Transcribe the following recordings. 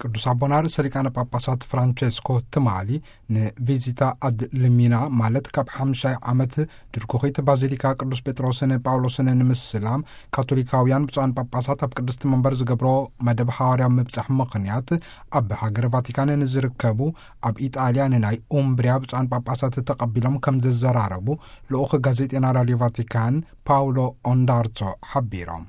ቅዱስ ኣቦና ርእሰ ሊቃነ ጳጳሳት ፍራንቸስኮ ትማሊ ንቪዚታ ኣድ ልሚና፣ ማለት ካብ ሓምሻይ ዓመት ድርኩኺት ባዚሊካ ቅዱስ ጴጥሮስን ጳውሎስን ንምስላም፣ ካቶሊካውያን ብፁዓን ጳጳሳት ኣብ ቅድስቲ መንበር ዝገብሮ መደብ ሓዋርያዊ ምብጻሕ ምኽንያት፣ ኣብ ሃገረ ቫቲካን ንዝርከቡ ኣብ ኢጣልያ ንናይ ኡምብሪያ ብፁዓን ጳጳሳት ተቐቢሎም ከም ዘዘራረቡ ልኡኽ ጋዜጤና ራድዮ ቫቲካን ፓውሎ ኦንዳርቶ ሓቢሮም።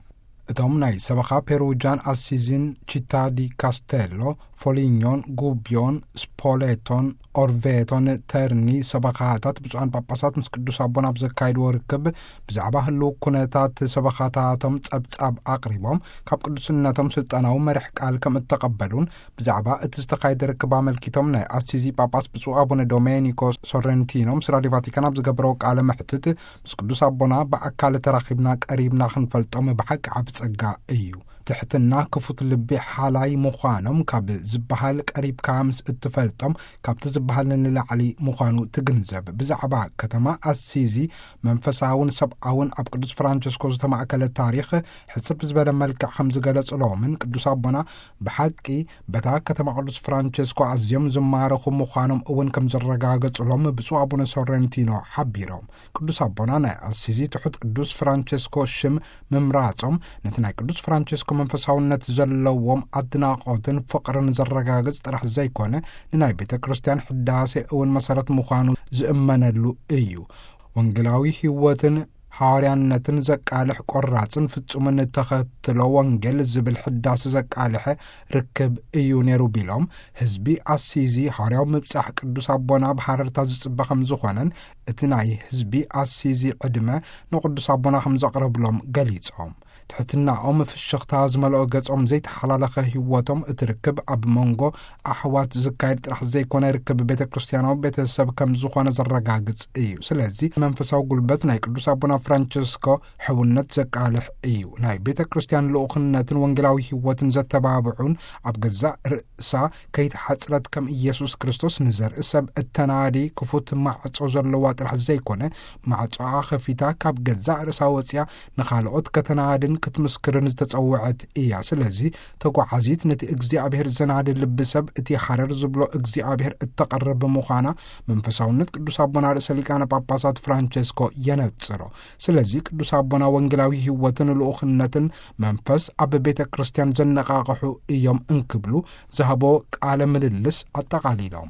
እቶም ናይ ሰበኻ ፔሩጃን ኣሲዚን፣ ቺታ ዲ ካስቴሎ፣ ፎሊኞን፣ ጉቢዮን፣ ስፖሌቶን፣ ኦርቬቶን፣ ተርኒ ሰበኻታት ብፁዓን ጳጳሳት ምስ ቅዱስ ኣቦና ኣብ ዘካየድዎ ርክብ፣ ብዛዕባ ህልው ኩነታት ሰበኻታቶም ጸብጻብ ኣቕሪቦም፣ ካብ ቅዱስነቶም ስልጣናዊ መርሕ ቃል ከም እተቐበሉን፣ ብዛዕባ እቲ ዝተኻየደ ርክብ ኣመልኪቶም ናይ ኣሲዚ ጳጳስ ብፁዕ ኣቡነ ዶሜኒኮ ሶረንቲኖ ምስ ራድዮ ቫቲካን ኣብ ዝገበረው ቃለ መሕትት፣ ምስ ቅዱስ ኣቦና ብኣካል ተራኺብና ቀሪብና ክንፈልጦም ብሓቂ ዓቢ ጸጋ እዩ። ትሕትና፣ ክፉት ልቢ፣ ሓላይ ምዃኖም ካብ ዝበሃል ቀሪብካ ምስ እትፈልጦም፣ ካብቲ ዝበሃል ንላዕሊ ምዃኑ ትግንዘብ። ብዛዕባ ከተማ ኣሲዚ መንፈሳውን ሰብኣውን ኣብ ቅዱስ ፍራንቸስኮ ዝተማእከለ ታሪኽ ሕጽብ ዝበለ መልክዕ ከም ዝገለጽሎምን፣ ቅዱስ ኣቦና ብሓቂ በታ ከተማ ቅዱስ ፍራንቸስኮ ኣዝዮም ዝማረኹ ምዃኖም እውን ከም ዘረጋገጽሎም ብፁዕ ኣቡነ ሶረንቲኖ ሓቢሮም። ቅዱስ ኣቦና ናይ ኣሲዚ ትሑት ቅዱስ ፍራንቸስኮ ሽም ምምራጾም፣ ነቲ ናይ ቅዱስ ፍራንቸስኮ መንፈሳውነት ዘለዎም ኣድናቖትን ፍቕርን ዘረጋግጽ ጥራሕ ዘይኮነ፣ ንናይ ቤተ ክርስቲያን ሕዳሴ እውን መሰረት ምዃኑ ዝእመነሉ እዩ። ወንጌላዊ ህይወትን ሓዋርያነትን ዘቃልሕ ቆራጽን ፍጹምን ተኸትሎ ወንጌል ዝብል ሕዳሴ ዘቃልሐ ርክብ እዩ ነይሩ ቢሎም፣ ህዝቢ ኣሲዚ ሓዋርያዊ ምብጻሕ ቅዱስ ኣቦና ብሃረርታ ዝጽበ ከም ዝኾነን፣ እቲ ናይ ህዝቢ ኣሲዚ ዕድመ ንቅዱስ ኣቦና ከም ዘቕረብሎም ገሊጾም። ትሕትናኦም፣ ፍሽኽታ ዝመልኦ ገጾም፣ ዘይተሓላለኸ ህይወቶም፣ እቲ ርክብ ኣብ መንጎ ኣሕዋት ዝካየድ ጥራሕ ዘይኮነ፣ ርክብ ቤተ ክርስቲያናዊ ቤተሰብ ከም ዝኾነ ዘረጋግጽ እዩ። ስለዚ መንፈሳዊ ጉልበት ናይ ቅዱስ ኣቦና ፍራንቸስኮ ሕውነት ዘቃልሕ እዩ። ናይ ቤተ ክርስቲያን ልኡኽነትን ወንጌላዊ ህይወትን ዘተባብዑን፣ ኣብ ገዛእ ርእሳ ከይተሓጽረት ከም ኢየሱስ ክርስቶስ ንዘርኢ ሰብ እተናዲ ክፉት ማዕጾ ዘለዋ ጥራሕ ዘይኮነ፣ ማዕጾኣ ከፊታ ካብ ገዛእ ርእሳ ወጺኣ ንኻልኦት ከተናድን ክትምስክርን ዝተጸውዐት እያ። ስለዚ ተጓዓዚት፣ ነቲ እግዚኣብሔር ዘናዲ ልቢ ሰብ፣ እቲ ሓረር ዝብሎ እግዚኣብሔር እተቐርብ ምዃና መንፈሳውነት ቅዱስ ኣቦና ርእሰ ሊቃነ ጳጳሳት ፍራንቸስኮ የነጽሮ። ስለዚ ቅዱስ ኣቦና ወንጌላዊ ህይወትን ልኡኽነትን መንፈስ ኣብ ቤተ ክርስቲያን ዘነቓቕሑ እዮም እንክብሉ ዝሃቦ ቃለ ምልልስ ኣጠቓሊሎም።